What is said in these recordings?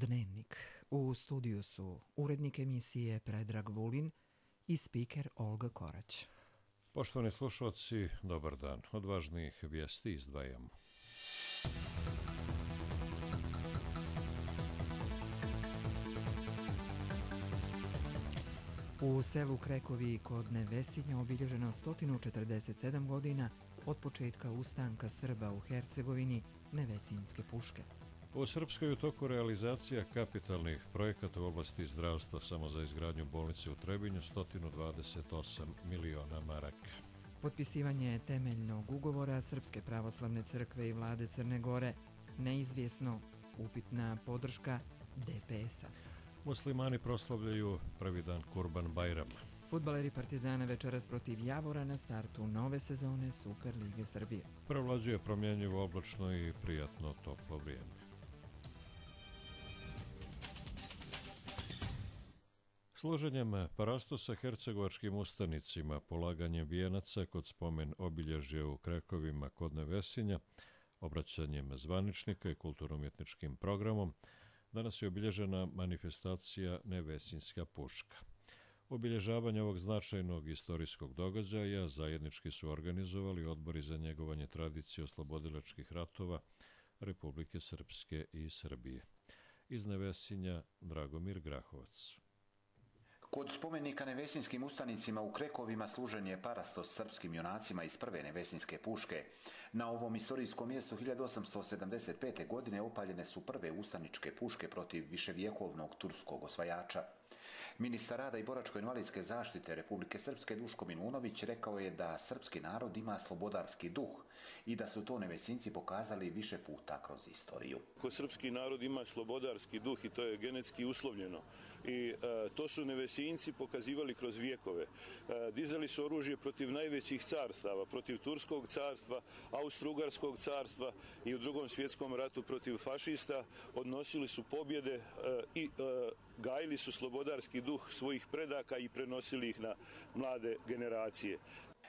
Dnevnik. U studiju su urednik emisije Predrag Vulin i spiker Olga Korać. Poštovani slušalci, dobar dan. Od važnijih vijesti izdvajamo. U selu Krekovi kod Nevesinja obilježeno 147 godina od početka ustanka Srba u Hercegovini Nevesinjske puške. U Srpskoj je u toku realizacija kapitalnih projekata u oblasti zdravstva. Samo za izgradnju bolnice u Trebinju 128 miliona maraka. Potpisivanje temeljnog ugovora Srpske pravoslavne crkve i vlade Crne Gore. Neizvjesno, upitna podrška DPS-a. Muslimani proslavljaju prvi dan Kurban Bajrama. Fudbaleri Partizana večeras protiv Javora na startu nove sezone Super Lige Srbije. Prevlađuje promjenjivo oblačno i prijatno toplo vrijeme. Služenjem parastosa hercegovačkim ustanicima, polaganjem vijenaca kod spomen obilježja u Krekovima kod Nevesinja, obraćanjem zvaničnika i kulturno-umjetničkim programom, danas je obilježena manifestacija Nevesinjska puška. Obilježavanje ovog značajnog istorijskog događaja zajednički su organizovali odbori za njegovanje tradicije oslobodilačkih ratova Republike Srpske i Srbije. Iz Nevesinja Dragomir Grahovac. Kod spomenika Nevesinjskim ustanicima u Krekovima služen je parastos srpskim junacima iz prve Nevesinjske puške. Na ovom istorijskom mjestu 1875. godine opaljene su prve ustaničke puške protiv viševjekovnog turskog osvajača. Ministar rada i boračko-invalidske zaštite Republike Srpske Duško Milunović rekao je da srpski narod ima slobodarski duh i da su to Nevesinjci pokazali više puta kroz istoriju. Srpski narod ima slobodarski duh i to je genetski uslovljeno. I to su Nevesinjci pokazivali kroz vijekove. Dizali su oružje protiv najvećih carstava, protiv Turskog carstva, Austro-Ugarskog carstva i u Drugom svjetskom ratu protiv fašista. Odnosili su pobjede i gajili su slobodarski duh svojih predaka i prenosili ih na mlade generacije.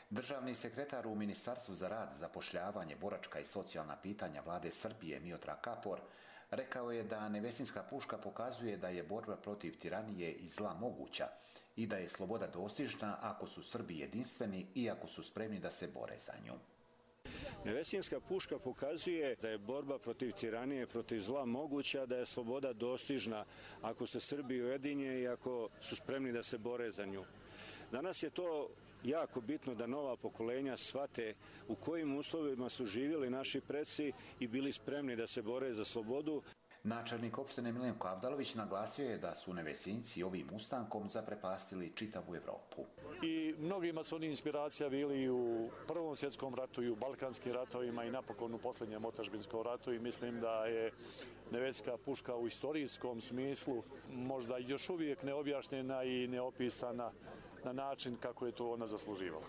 Državni sekretar u Ministarstvu za rad, zapošljavanje, boračka i socijalna pitanja vlade Srbije Miodrag Kapor rekao je da Nevesinjska puška pokazuje da je borba protiv tiranije i zla moguća i da je sloboda dostižna ako su Srbi jedinstveni i ako su spremni da se bore za nju. Nevesinjska puška pokazuje da je borba protiv tiranije, protiv zla moguća, da je sloboda dostižna ako se Srbi ujedinje i ako su spremni da se bore za nju. Danas je to jako bitno da nova pokolenja shvate u kojim uslovima su živjeli naši preci i bili spremni da se bore za slobodu. Načelnik opštine Milenko Avdalović naglasio je da su Nevesinjci ovim ustankom zaprepastili čitavu Evropu. I mnogima su oni inspiracija bili i u Prvom svjetskom ratu i u Balkanskim ratovima i napokon u posljednjem otadžbinskom ratu i mislim da je Nevesinjska puška u istorijskom smislu možda još uvijek neobjašnjena i neopisana na način kako je to ona zasluživala.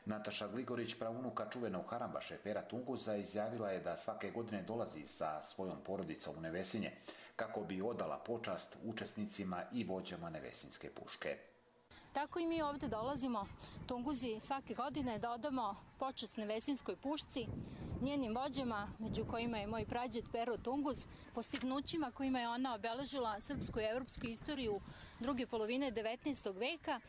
Nataša Gligorić, praunuka čuvenog harambaše Pera Tunguza, izjavila je da svake godine dolazi sa svojom porodicom u Nevesinje kako bi odala počast učesnicima i vođama Nevesinjske puške. Tako i mi ovdje dolazimo, Tunguzi, svake godine da odamo počast Nevesinjskoj pušci, njenim vođama, među kojima je moj prađed Pero Tunguz, postignućima kojima je ona obeležila srpsku i evropsku istoriju druge polovine 19. veka.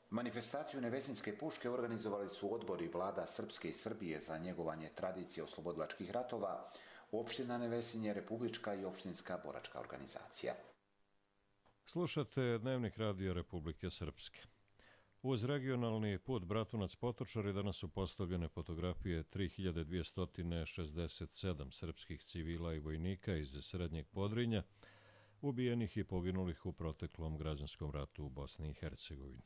Manifestaciju Nevesinjske puške organizovali su odbori vlada Srpske i Srbije za njegovanje tradicije oslobodilačkih ratova, opština Nevesinje, republička i opštinska boračka organizacija. Slušate Dnevnik radija Republike Srpske. Uz regionalni put Bratunac-Potočari danas su postavljene fotografije 3267 srpskih civila i vojnika iz Srednjeg Podrinja, ubijenih i poginulih u proteklom građanskom ratu u Bosni i Hercegovini.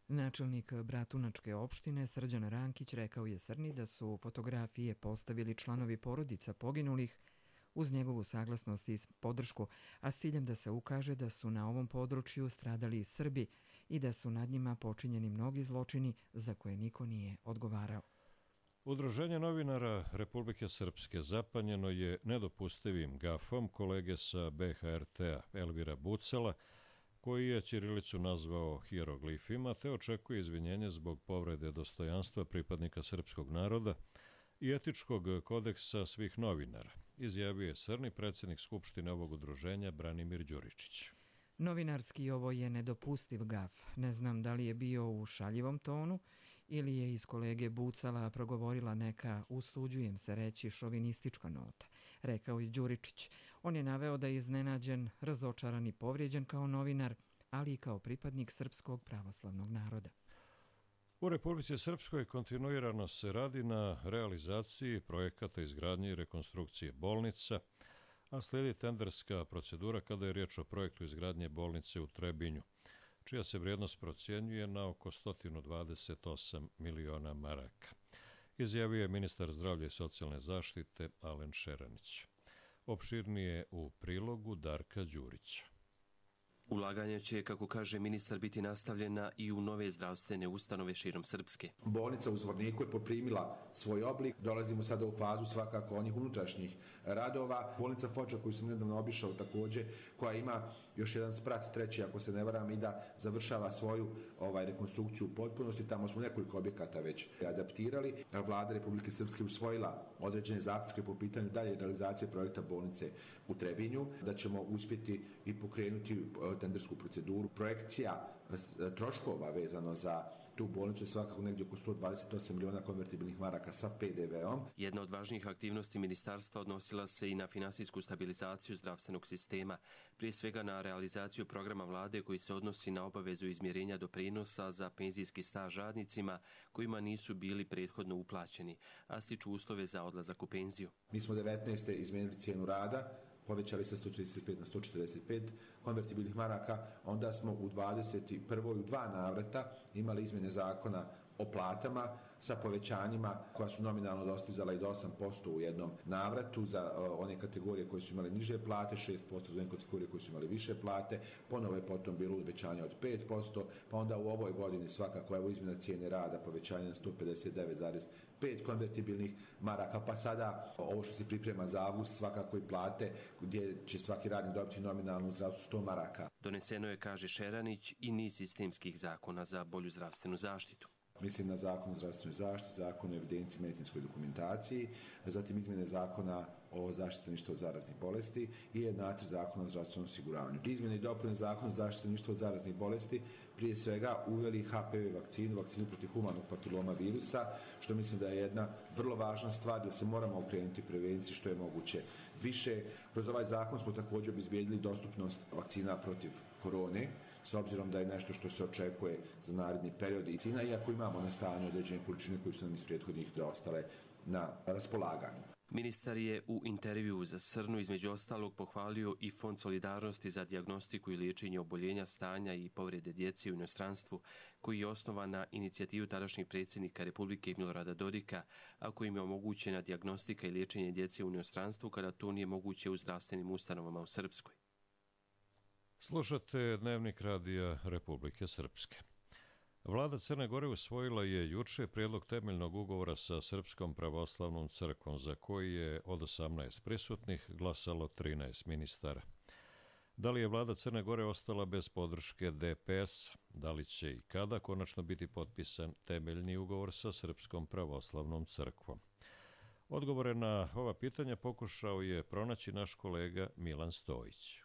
Načelnik Bratunačke opštine Srđan Rankić rekao je Srni da su fotografije postavili članovi porodica poginulih uz njegovu saglasnost i podršku, a s ciljem da se ukaže da su na ovom području stradali i Srbi i da su nad njima počinjeni mnogi zločini za koje niko nije odgovarao. Udruženje novinara Republike Srpske zapanjeno je nedopustivim gafom kolege sa BHRT-a Elvira Bucela, koji je ćirilicu nazvao hieroglifima, te očekuje izvinjenje zbog povrede dostojanstva pripadnika srpskog naroda i etičkog kodeksa svih novinara. izjavio je Srni, predsjednik Skupštine ovog udruženja Branimir Đuričić. Novinarski ovo je nedopustiv gaf. Ne znam da li je bio u šaljivom tonu ili je iz kolege Bucala progovorila neka, usuđujem se reći, šovinistička nota, rekao je Đuričić. On je naveo da je iznenađen, razočaran i povrijeđen kao novinar, ali i kao pripadnik srpskog pravoslavnog naroda. U Republici Srpskoj kontinuirano se radi na realizaciji projekata izgradnje i rekonstrukcije bolnica, a slijedi tenderska procedura kada je riječ o projektu izgradnje bolnice u Trebinju, čija se vrijednost procjenjuje na oko 128 miliona maraka, izjavio je ministar zdravlja i socijalne zaštite Alen Šeranić. Opširnije u prilogu Darka Đurića. Ulaganje će, kako kaže ministar, biti nastavljena i u nove zdravstvene ustanove širom Srpske. Bolnica u Zvorniku je poprimila svoj oblik. Dolazimo sada u fazu svakako onih unutrašnjih radova. Bolnica Foča koju sam nedavno obišao također, koja ima još jedan sprat, treći ako se ne varam, i da završava svoju rekonstrukciju u potpunosti. Tamo smo nekoliko objekata već adaptirali. Vlada Republike Srpske usvojila određene zaključke po pitanju dalje realizacije projekta bolnice u Trebinju, da ćemo uspjeti i pokrenuti tendersku proceduru. Projekcija troškova vezano za tu bolnicu je svakako negdje oko 128 miliona konvertibilnih maraka sa PDV-om. Jedna od važnijih aktivnosti ministarstva odnosila se i na finansijsku stabilizaciju zdravstvenog sistema, prije svega na realizaciju programa vlade koji se odnosi na obavezu izmjerenja doprinosa za penzijski staž radnicima kojima nisu bili prethodno uplaćeni, a stiču uslove za odlazak u penziju. Mi smo 19. izmijenili cijenu rada, povećali sa 135 na 145 konvertibilnih maraka, onda smo u 21. u 2 navrata imali izmjene zakona o platama sa povećanjima koja su nominalno dostizala i do 8% u jednom navratu za one kategorije koje su imale niže plate, 6% za one kategorije koje su imale više plate, ponovo je potom bilo uvećanje od 5%, pa onda u ovoj godini svakako evo izmjena cijene rada, povećanje na 159,5 konvertibilnih maraka, pa sada ovo što se priprema za avgust svakako i plate gdje će svaki radnik dobiti nominalnu zdravstvu 100 maraka. Doneseno je, kaže Šeranić, i niz sistemskih zakona za bolju zdravstvenu zaštitu. Mislim na zakon o zdravstvenoj zaštiti, zakon o evidenciji medicinskoj dokumentaciji, zatim izmjene zakona o zaštiti stanovništva od zaraznih bolesti i nacrt zakona o zdravstvenom osiguranju. Izmjene i dopune zakona o zaštiti stanovništva od zaraznih bolesti prije svega uveli HPV vakcinu protiv humanog papiloma virusa, što mislim da je jedna vrlo važna stvar da se moramo okrenuti prevenciji što je moguće više. Kroz ovaj zakon smo također obezbijedili dostupnost vakcina protiv korone, s obzirom da je nešto što se očekuje za naredni period i cina, iako imamo na stanju određene količine koje su nam iz prethodnih ostale na raspolaganju. Ministar je u intervjuu za Srnu između ostalog pohvalio i Fond solidarnosti za dijagnostiku i liječenje oboljenja, stanja i povrede djece u inostranstvu, koji je osnovan na inicijativu tadašnjeg predsjednika Republike Milorada Dodika, a kojim je omogućena dijagnostika i liječenje djece u inostranstvu kada to nije moguće u zdravstvenim ustanovama u Srpskoj. Slušate Dnevnik radija Republike Srpske. Vlada Crne Gore usvojila je juče prijedlog temeljnog ugovora sa Srpskom pravoslavnom crkvom, za koji je od 18 prisutnih glasalo 13 ministara. Da li je vlada Crne Gore ostala bez podrške DPS? Da li će i kada konačno biti potpisan temeljni ugovor sa Srpskom pravoslavnom crkvom? Odgovore na ova pitanja pokušao je pronaći naš kolega Milan Stojić.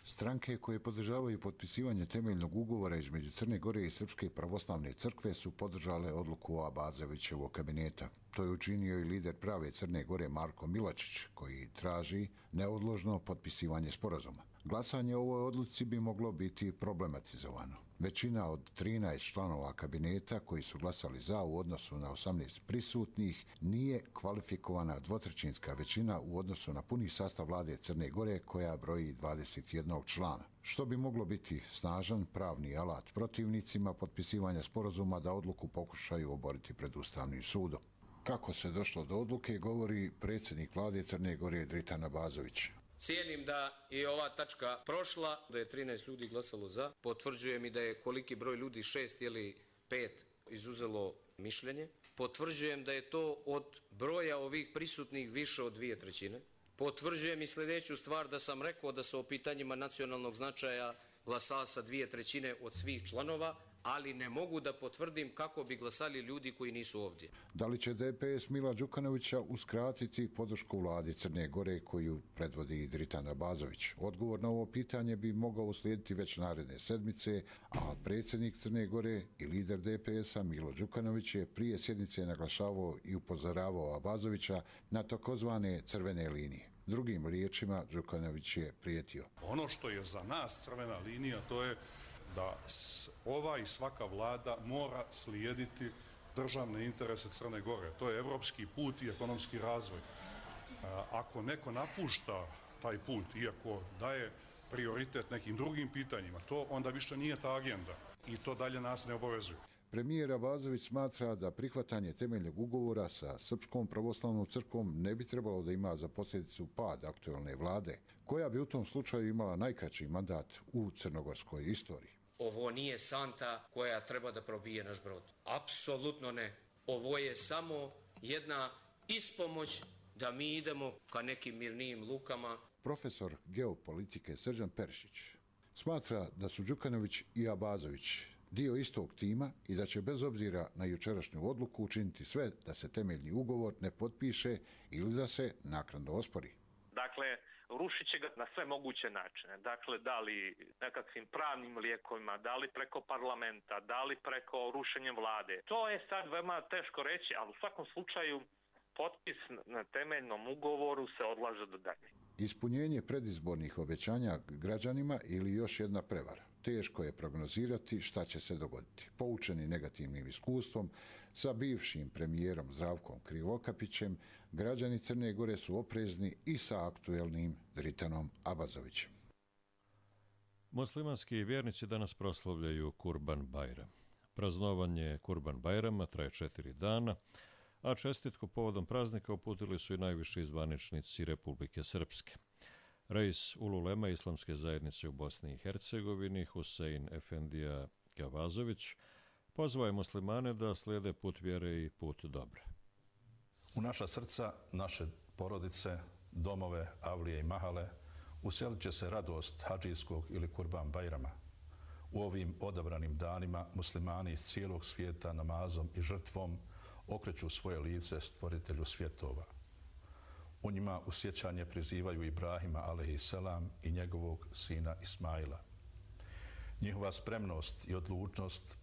Stranke koje podržavaju potpisivanje temeljnog ugovora između Crne Gore i Srpske pravoslavne crkve su podržale odluku Abazovićevog kabineta. To je učinio i lider prave Crne Gore Marko Milačić, koji traži neodložno potpisivanje sporazuma. Glasanje o ovoj odluci bi moglo biti problematizovano. Većina od 13 članova kabineta koji su glasali za u odnosu na 18 prisutnih nije kvalifikovana dvotrećinska većina u odnosu na puni sastav vlade Crne Gore koja broji 21 člana, što bi moglo biti snažan pravni alat protivnicima potpisivanja sporazuma da odluku pokušaju oboriti pred Ustavnim sudom. Kako se došlo do odluke, govori predsjednik vlade Crne Gore Dritan Abazović. Cijenim da je ova tačka prošla, da je 13 ljudi glasalo za. Potvrđujem i da je koliki broj ljudi, 6 ili 5, izuzelo mišljenje. Potvrđujem da je to od broja ovih prisutnih više od 2/3. Potvrđujem i sljedeću stvar, da sam rekao da se o pitanjima nacionalnog značaja glasa sa 2/3 od svih članova, ali ne mogu da potvrdim kako bi glasali ljudi koji nisu ovdje. Da li će DPS Mila Đukanovića uskratiti podršku vladi Crne Gore koju predvodi Dritan Abazović? Odgovor na ovo pitanje bi mogao uslijediti već naredne sedmice, a predsjednik Crne Gore i lider DPS-a Milo Đukanović je prije sjednice naglašavao i upozoravao Abazovića na takozvane crvene linije. Drugim riječima, Đukanović je prijetio. Ono što je za nas crvena linija, to je da ova i svaka vlada mora slijediti državne interese Crne Gore. To je evropski put i ekonomski razvoj. Ako neko napušta taj put, iako daje prioritet nekim drugim pitanjima, to onda više nije ta agenda i to dalje nas ne obavezuje. Premijer Abazović smatra da prihvatanje temeljnog ugovora sa Srpskom pravoslavnom crkvom ne bi trebalo da ima za posljedicu pad aktualne vlade, koja bi u tom slučaju imala najkraći mandat u crnogorskoj istoriji. Ovo nije santa koja treba da probije naš brod. Apsolutno ne. Ovo je samo jedna ispomoć da mi idemo ka nekim mirnijim lukama. Profesor geopolitike Srđan Perišić smatra da su Đukanović i Abazović dio istog tima i da će bez obzira na jučerašnju odluku učiniti sve da se temeljni ugovor ne potpiše ili da se naknadno ospori. Dakle, rušit će ga na sve moguće načine. Dakle, da li nekakvim pravnim lijekovima, da li preko parlamenta, da li preko rušenja vlade. To je sad veoma teško reći, ali u svakom slučaju potpis na temeljnom ugovoru se odlaže do dalje. Ispunjenje predizbornih obećanja građanima ili još jedna prevara. Teško je prognozirati šta će se dogoditi. Poučeni negativnim iskustvom sa bivšim premijerom Zdravkom Krivokapićem, građani Crne Gore su oprezni i sa aktuelnim Dritanom Abazovićem. Muslimanski vjernici danas proslavljaju Kurban Bajram. Praznovanje Kurban Bajrama traje 4 dana, a čestitku povodom praznika uputili su i najviši zvaničnici Republike Srpske. Reis Ululema Islamske zajednice u Bosni i Hercegovini, Husein Efendija Gavazović, pozvao je muslimane da slijede put vjere i put dobra. U naša srca, naše porodice, domove, avlije i mahale uselit će se radost hadžijskog ili Kurban Bajrama. U ovim odabranim danima muslimani iz cijelog svijeta namazom i žrtvom okreću svoje lice stvoritelju svjetova. U njima u sjećanje prizivaju Ibrahima alejhiselam i njegovog sina Ismaila. Njihova spremnost i odlučnost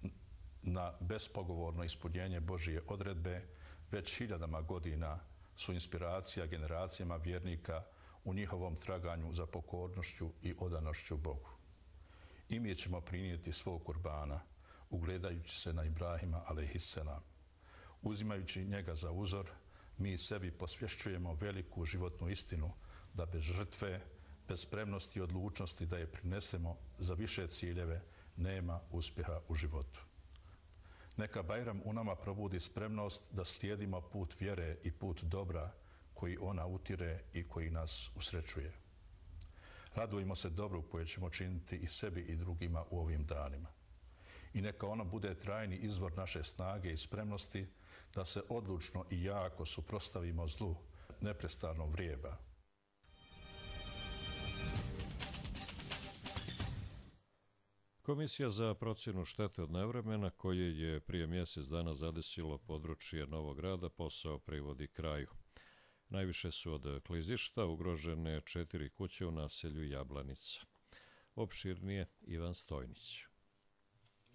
na bespogovorno ispunjenje Božije odredbe već hiljadama godina su inspiracija generacijama vjernika u njihovom traganju za pokornošću i odanošću Bogu. I mi ćemo prinijeti svog kurbana, ugledajući se na Ibrahima alejhiselam. Uzimajući njega za uzor, mi sebi posvješćujemo veliku životnu istinu da bez žrtve, bez spremnosti i odlučnosti da je prinesemo za više ciljeve, nema uspjeha u životu. Neka Bajram u nama probudi spremnost da slijedimo put vjere i put dobra koji ona utire i koji nas usrećuje. Radujemo se dobru koje ćemo činiti i sebi i drugima u ovim danima. I neka ona bude trajni izvor naše snage i spremnosti da se odlučno i jako suprotstavimo zlu, neprestano vrijeba. Komisija za procjenu štete od nevremena, koje je prije mjesec dana zadesilo područje Novog Grada, posao privodi kraju. Najviše su od klizišta ugrožene 4 kuće u naselju Jablanica. Opširnije Ivan Stojnić.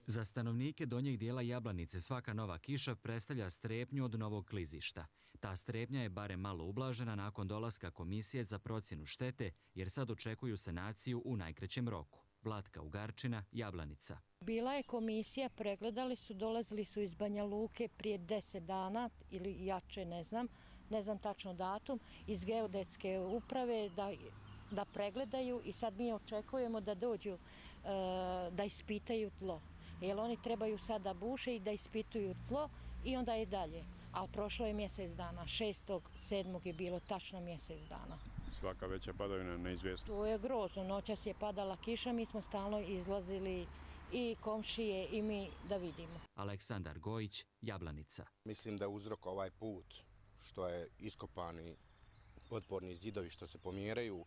Za stanovnike donjeg dijela Jablanice svaka nova kiša predstavlja strepnju od novog klizišta. Ta strepnja je barem malo ublažena nakon dolaska Komisije za procjenu štete, jer sad očekuju sanaciju u najkraćem roku. Vlatka Ugarčina, Jablanica. Bila je komisija, pregledali su, dolazili su iz Banja Luke prije 10 dana ili jače, ne znam tačno datum, iz geodetske uprave da pregledaju i sad mi očekujemo da dođu da ispitaju tlo. Jer oni trebaju sad da buše i da ispituju tlo i onda je dalje. Ali prošlo je mjesec dana, 6.7. je bilo tačno mjesec dana. Svaka veća padavina neizvjesna. To je grozno, noćas je padala kiša, mi smo stalno izlazili i komšije i mi da vidimo. Aleksandar Gojić, Jablanica. Mislim da je uzrok ovaj put što je iskopani otporni zidovi što se pomjeraju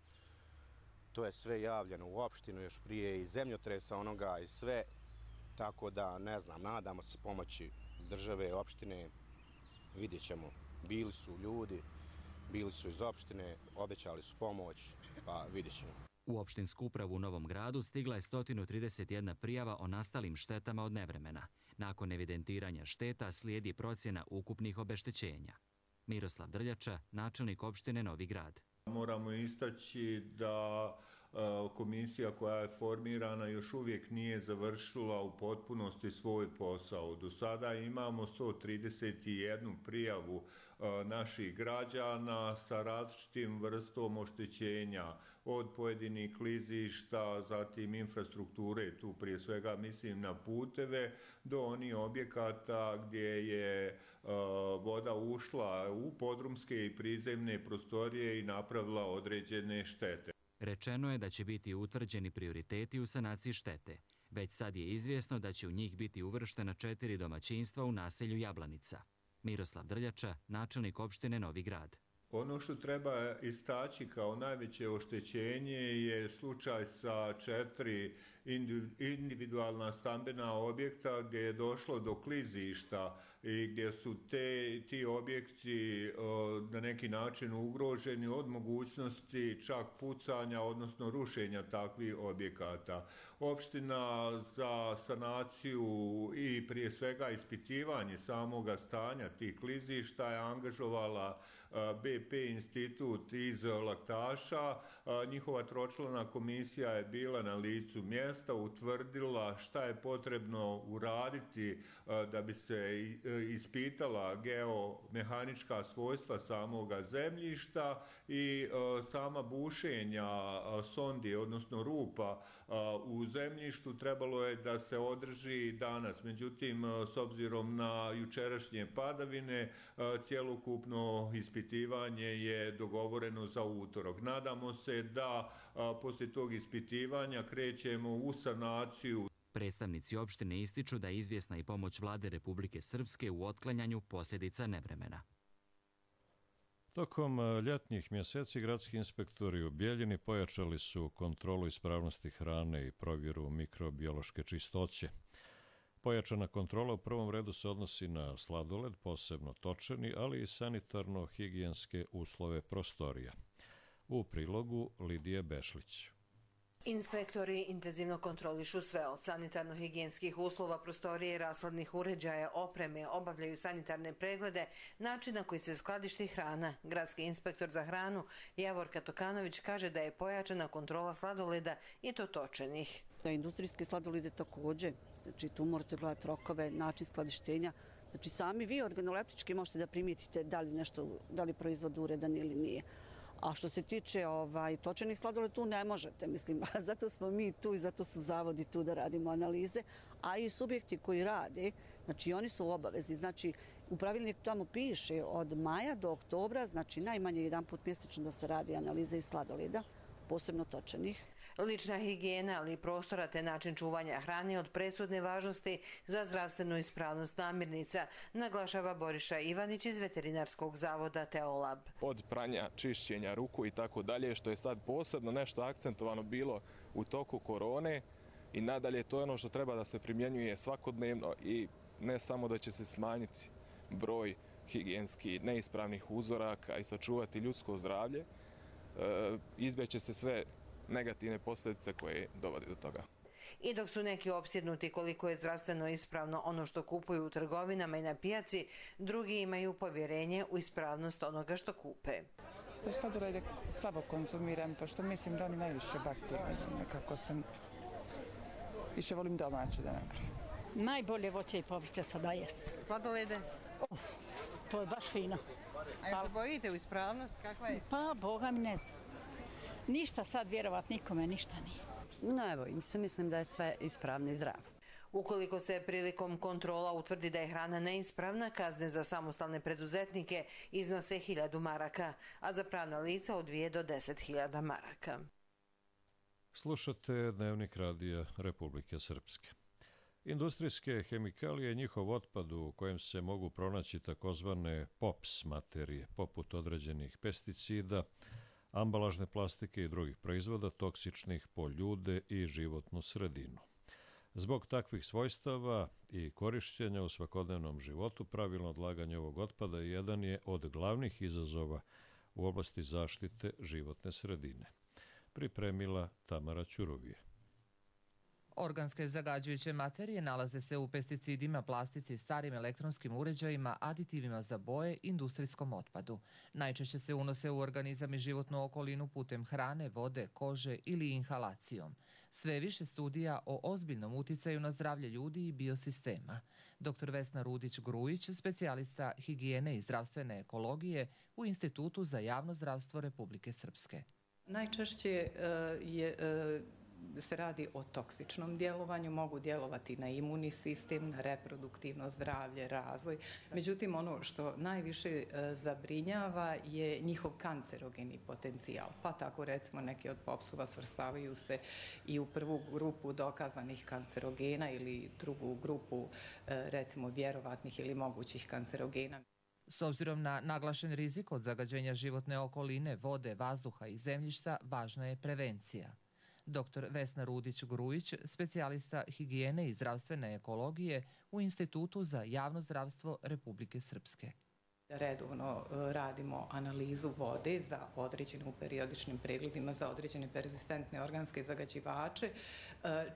to je sve javljeno u opštinu još prije i zemljotresa onoga i sve, tako da ne znam, nadamo se pomoći države, opštine, vidjet ćemo. Bili su ljudi, bili su iz opštine, obećali su pomoć, pa vidjet ćemo. U opštinsku upravu u Novom Gradu stigla je 131 prijava o nastalim štetama od nevremena. Nakon evidentiranja šteta slijedi procjena ukupnih obeštećenja. Miroslav Drljača, načelnik opštine Novi Grad. Moramo istaći da komisija koja je formirana još uvijek nije završila u potpunosti svoj posao. Do sada imamo 131 prijavu naših građana sa različitim vrstom oštećenja, od pojedinih klizišta, zatim infrastrukture, tu prije svega mislim na puteve, do onih objekata gdje je voda ušla u podrumske i prizemne prostorije i napravila određene štete. Rečeno je da će biti utvrđeni prioriteti u sanaciji štete. Već sad je izvjesno da će u njih biti uvrštena 4 domaćinstva u naselju Jablanica. Miroslav Drljača, načelnik opštine Novi Grad. Ono što treba istaći kao najveće oštećenje je slučaj sa 4 individualna stambena objekta gdje je došlo do klizišta i gdje su ti objekti na neki način ugroženi od mogućnosti čak pucanja, odnosno rušenja takvih objekata. Opština za sanaciju i prije svega ispitivanje samoga stanja tih klizišta je angažovala BP institut iz Laktaša. Njihova tročlana komisija je bila na licu mjesta, utvrdila šta je potrebno uraditi da bi se ispitala geomehanička svojstva samoga zemljišta i sama bušenja sondi, odnosno rupa u zemljištu trebalo je da se održi danas. Međutim, s obzirom na jučerašnje padavine, cjelokupno ispitivanje je dogovoreno za utorak. Nadamo se da poslije tog ispitivanja krećemo u sanaciju. Predstavnici opštine ističu da je izvjesna i pomoć Vlade Republike Srpske u otklanjanju posljedica nevremena. Tokom ljetnih mjeseci gradski inspektori u Bjeljini pojačali su kontrolu ispravnosti hrane i provjeru mikrobiološke čistoće. Pojačana kontrola u prvom redu se odnosi na sladoled, posebno točeni, ali i sanitarno-higijenske uslove prostorija. U prilogu Lidije Bešlić. Inspektori intenzivno kontrolišu sve od sanitarno-higijenskih uslova, prostorije i rashladnih uređaja, opreme, obavljaju sanitarne preglede, način na koji se skladišti hrana. Gradski inspektor za hranu Javorka Tokanović kaže da je pojačana kontrola sladoleda i to točenih. Da industrijske sladolede također, znači tu morate gledati rokove, način skladištenja. Znači sami vi organoleptički možete da primijetite da li proizvod uredan ili nije. A što se tiče točenih sladoleda, tu ne možete, mislim, zato smo mi tu i zato su zavodi tu da radimo analize, a i subjekti koji rade, znači oni su obavezni, znači u pravilniku tamo piše od maja do oktobra, znači najmanje jedan put mjesečno da se radi analize iz sladoleda, posebno točenih. Lična higijena, ali i prostora te način čuvanja hrane od presudne važnosti za zdravstvenu ispravnost namirnica, naglašava Boriša Ivanić iz Veterinarskog zavoda Teolab. Od pranja, čišćenja ruku i tako dalje, što je sad posebno nešto akcentovano bilo u toku korone i nadalje to je ono što treba da se primjenjuje svakodnevno i ne samo da će se smanjiti broj higijenski neispravnih uzoraka i sačuvati ljudsko zdravlje, izbjeće se sve negativne posljedice koje dovode do toga. I dok su neki opsjednuti koliko je zdravstveno ispravno ono što kupuju u trgovinama i na pijaci, drugi imaju povjerenje u ispravnost onoga što kupe. Sladolede slabo konzumiram, pošto mislim da oni najviše bakterije. Nekako sam više volim domaće da napravim. Najbolje voće i povrće sada jest. Sladolede? To je baš fino. A jel se bojite u ispravnost? Kakva je? Pa, Boga mi ne znam. Ništa sad vjerovat nikome, ništa nije. Ne bojim se, mislim da je sve ispravno i zdravo. Ukoliko se prilikom kontrola utvrdi da je hrana neispravna, kazne za samostalne preduzetnike iznose 1000 maraka, a za pravna lica od 2 do 10.000 maraka. Slušate Dnevnik radija Republike Srpske. Industrijske hemikalije i njihov otpad u kojem se mogu pronaći takozvane POPS materije, poput određenih pesticida, ambalažne plastike i drugih proizvoda toksičnih po ljude i životnu sredinu. Zbog takvih svojstava i korišćenja u svakodnevnom životu, pravilno odlaganje ovog otpada jedan je od glavnih izazova u oblasti zaštite životne sredine. Pripremila Tamara Ćurovije. Organske zagađujuće materije nalaze se u pesticidima, plastici, starim elektronskim uređajima, aditivima za boje, industrijskom otpadu. Najčešće se unose u organizam i životnu okolinu putem hrane, vode, kože ili inhalacijom. Sve više studija o ozbiljnom uticaju na zdravlje ljudi i biosistema. Dr. Vesna Rudić-Grujić, specijalista higijene i zdravstvene ekologije u Institutu za javno zdravstvo Republike Srpske. Najčešće se radi o toksičnom djelovanju, mogu djelovati na imunni sistem, na reproduktivno zdravlje, razvoj. Međutim, ono što najviše zabrinjava je njihov kancerogeni potencijal. Pa tako recimo neki od popsova svrstavaju se i u prvu grupu dokazanih kancerogena ili drugu grupu recimo vjerovatnih ili mogućih kancerogena. S obzirom na naglašen rizik od zagađenja životne okoline, vode, vazduha i zemljišta, važna je prevencija. Dr. Vesna Rudić-Grujić, specijalista higijene i zdravstvene ekologije u Institutu za javno zdravstvo Republike Srpske. Redovno radimo analizu vode za određene u periodičnim pregledima za određene perzistentne organske zagađivače.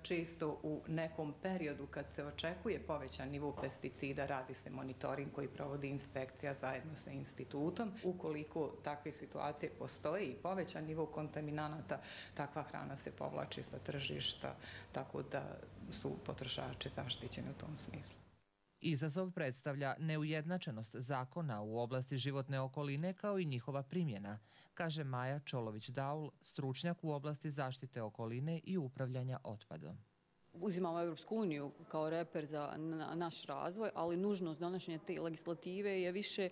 Često u nekom periodu kad se očekuje povećan nivo pesticida radi se monitoring koji provodi inspekcija zajedno sa institutom. Ukoliko takve situacije postoje i povećan nivo kontaminanata, takva hrana se povlači sa tržišta, tako da su potrošači zaštićeni u tom smislu. Izazov predstavlja neujednačenost zakona u oblasti životne okoline kao i njihova primjena, kaže Maja Čolović-Daul, stručnjak u oblasti zaštite okoline i upravljanja otpadom. Uzimamo Evropsku uniju kao reper za naš razvoj, ali nužnost donošenja te legislative je više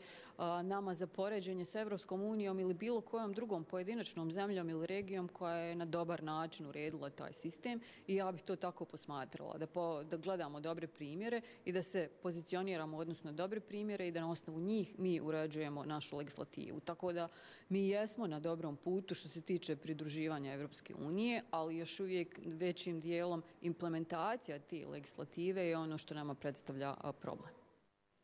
nama za poređenje s Evropskom unijom ili bilo kojom drugom pojedinačnom zemljom ili regijom koja je na dobar način uredila taj sistem i ja bih to tako posmatrala, da gledamo dobre primjere i da se pozicioniramo odnosno na dobre primjere i da na osnovu njih mi uređujemo našu legislativu. Tako da mi jesmo na dobrom putu što se tiče pridruživanja Evropske unije, ali još uvijek većim dijelom implementacija te legislative je ono što nama predstavlja problem.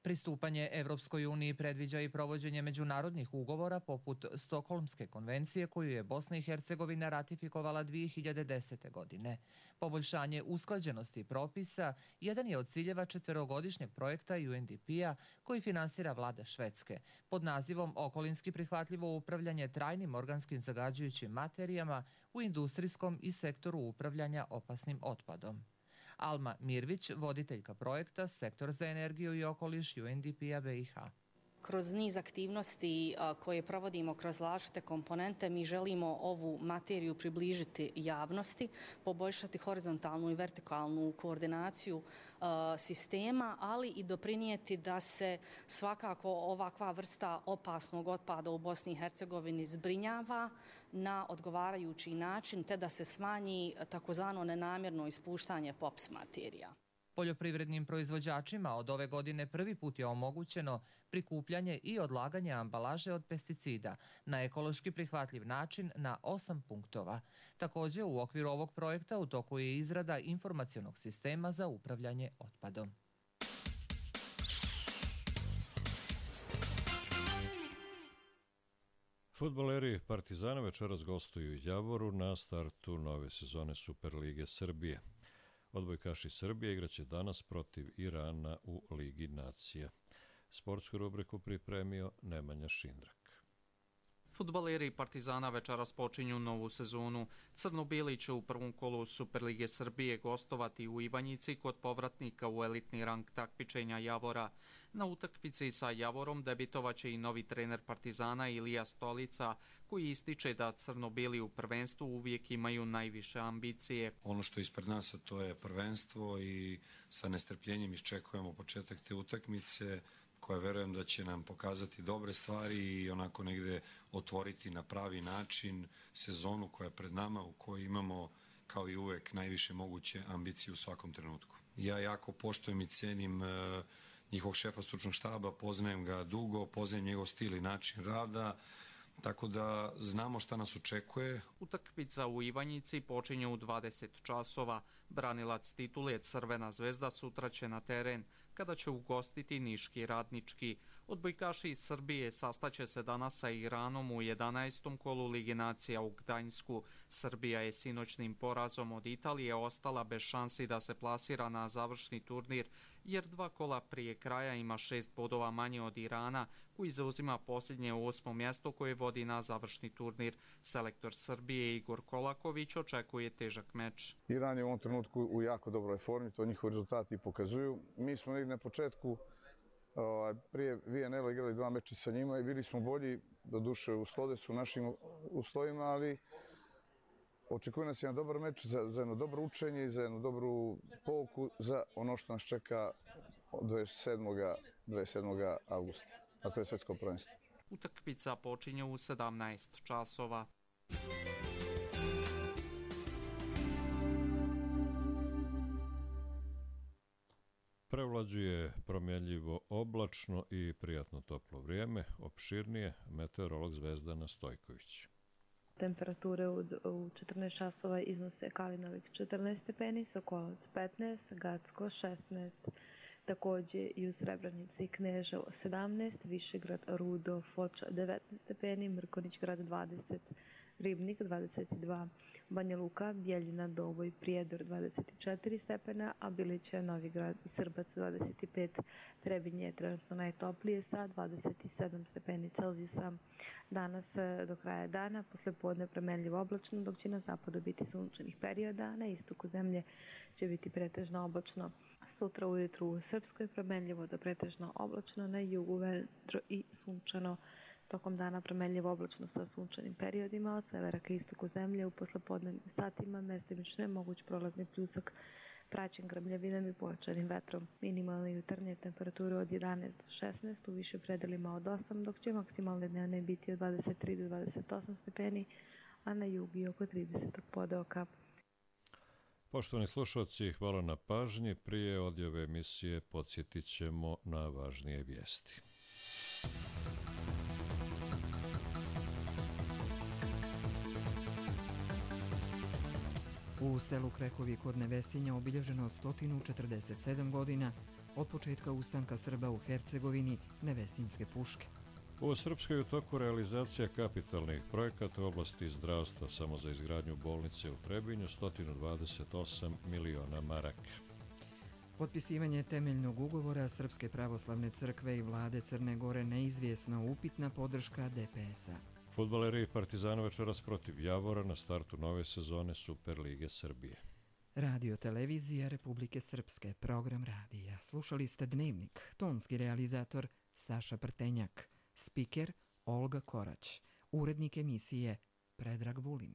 Pristupanje Evropskoj uniji predviđa i provođenje međunarodnih ugovora poput Stokholmske konvencije koju je Bosna i Hercegovina ratifikovala 2010. godine. Poboljšanje usklađenosti propisa jedan je od ciljeva 4-godišnjeg projekta UNDP-a koji finansira vlada Švedske pod nazivom Okolinski prihvatljivo upravljanje trajnim organskim zagađujućim materijama u industrijskom i sektoru upravljanja opasnim otpadom. Alma Mirvić, voditeljka projekta Sektor za energiju i okoliš UNDP-a BiH. Kroz niz aktivnosti koje provodimo kroz različite komponente mi želimo ovu materiju približiti javnosti, poboljšati horizontalnu i vertikalnu koordinaciju sistema, ali i doprinijeti da se svakako ovakva vrsta opasnog otpada u Bosni i Hercegovini zbrinjava na odgovarajući način te da se smanji takozvano nenamjerno ispuštanje POPS materija. Poljoprivrednim proizvođačima od ove godine prvi put je omogućeno prikupljanje i odlaganje ambalaže od pesticida na ekološki prihvatljiv način na 8 punktova. Također u okviru ovog projekta u toku je izrada informacionog sistema za upravljanje otpadom. Fudbaleri Partizana večeras gostuju u Javoru na startu nove sezone Superlige Srbije. Odbojkaši Srbije igraće danas protiv Irana u Ligi nacija. Sportsku rubriku pripremio Nemanja Šindrak. Fudbaleri Partizana večeras počinju novu sezonu. Crno-bijeli će u prvom kolu Superlige Srbije gostovati u Ivanjici kod povratnika u elitni rang takmičenja Javora. Na utakmici sa Javorom debitovaće i novi trener Partizana Ilija Stolica, koji ističe da crno-bijeli u prvenstvu uvijek imaju najviše ambicije. Ono što je ispred nas, to je prvenstvo i sa nestrpljenjem iščekujemo početak te utakmice, koja verujem da će nam pokazati dobre stvari i onako negde otvoriti na pravi način sezonu koja je pred nama, u kojoj imamo kao i uvek najviše moguće ambicije u svakom trenutku. Ja jako poštujem i cenim njihovog šefa stručnog štaba, poznajem ga dugo, poznajem njegov stil i način rada, tako da znamo šta nas očekuje. Utakmica u Ivanjici počinje u 20 časova. Branilac titule Crvena zvezda sutra će na teren, kada će ugostiti Niški Radnički. Odbojkaši iz Srbije sastaće se danas sa Iranom u 11. kolu Lige nacija u Gdańsku. Srbija je sinoćnim porazom od Italije ostala bez šansi da se plasira na završni turnir, jer 2 kola prije kraja ima 6 bodova manje od Irana, koji zauzima posljednje 8. mjesto koje vodi na završni turnir. Selektor Srbije Igor Kolaković očekuje težak meč. Iran je u ovom trenutku u jako dobroj formi, to njihovi rezultati pokazuju. Mi smo negdje na početku prije VNL igrali 2 meča sa njima i bili smo bolji, doduše u Slodesu, u našim uslovima, ali očekuje nas jedan dobar meč za jedno dobro učenje i za jednu dobru pouku za ono što nas čeka od 27. augusta, a to je svjetsko prvenstvo. Utakmica počinje u 17 časova. Prevlađuje promjenljivo oblačno i prijatno toplo vrijeme, opširnije meteorolog Zvezdana Stojković. Temperature u 14 časova iznose Kalinović 14 stepeni, Sokolac 15, Gacko 16, također i u Srebrenici i Kneževo 17, Višegrad, Rudo, Foča 19 stepeni, Mrkonić grad 20, Ribnik 22, Banja Luka, Bjeljina, Doboj, Prijedor 24 stepena, a Bilića, Novigrad i Srbac 25. Trebinje je trenutno najtoplije sa 27 stepeni Celzijusa. Danas do kraja dana, posle podne promjenljivo oblačno, dok će na zapadu biti sunčanih perioda, na istoku zemlje će biti pretežno oblačno. Sutra ujutru u Srpskoj promjenljivo do pretežno oblačno, na jugu vedro i sunčano. Tokom dana promjenljivo oblačno sa sunčanim periodima, od severa ka istoku zemlje u poslepodnevnim satima mestimično je moguć prolazni pljusak praćen grmljavinom i pojačanim vetrom. Minimalne jutarnje temperature od 11 do 16, u više predelima od 8, dok će maksimalne dnevne biti od 23 do 28 stepeni, a na jugu i oko 30 podeoka. Poštovani slušalci, hvala na pažnji. Prije odjave emisije podsjetit ćemo na važnije vijesti. U selu Krekovi kod Nevesinja obilježeno 147 godina od početka ustanka Srba u Hercegovini Nevesinjske puške. U Srpskoj je u toku realizacija kapitalnih projekata u oblasti zdravstva, samo za izgradnju bolnice u Trebinju 128 miliona maraka. Potpisivanje temeljnog ugovora Srpske pravoslavne crkve i vlade Crne Gore neizvjesna upitna podrška DPS-a. Fudbaleri Partizana večeras protiv Javora na startu nove sezone Superlige Srbije. Radio Televizija Republike Srpske, program radija. Slušali ste Dnevnik, tonski realizator Saša Prtenjak, spiker Olga Korać, urednik emisije Predrag Vulin.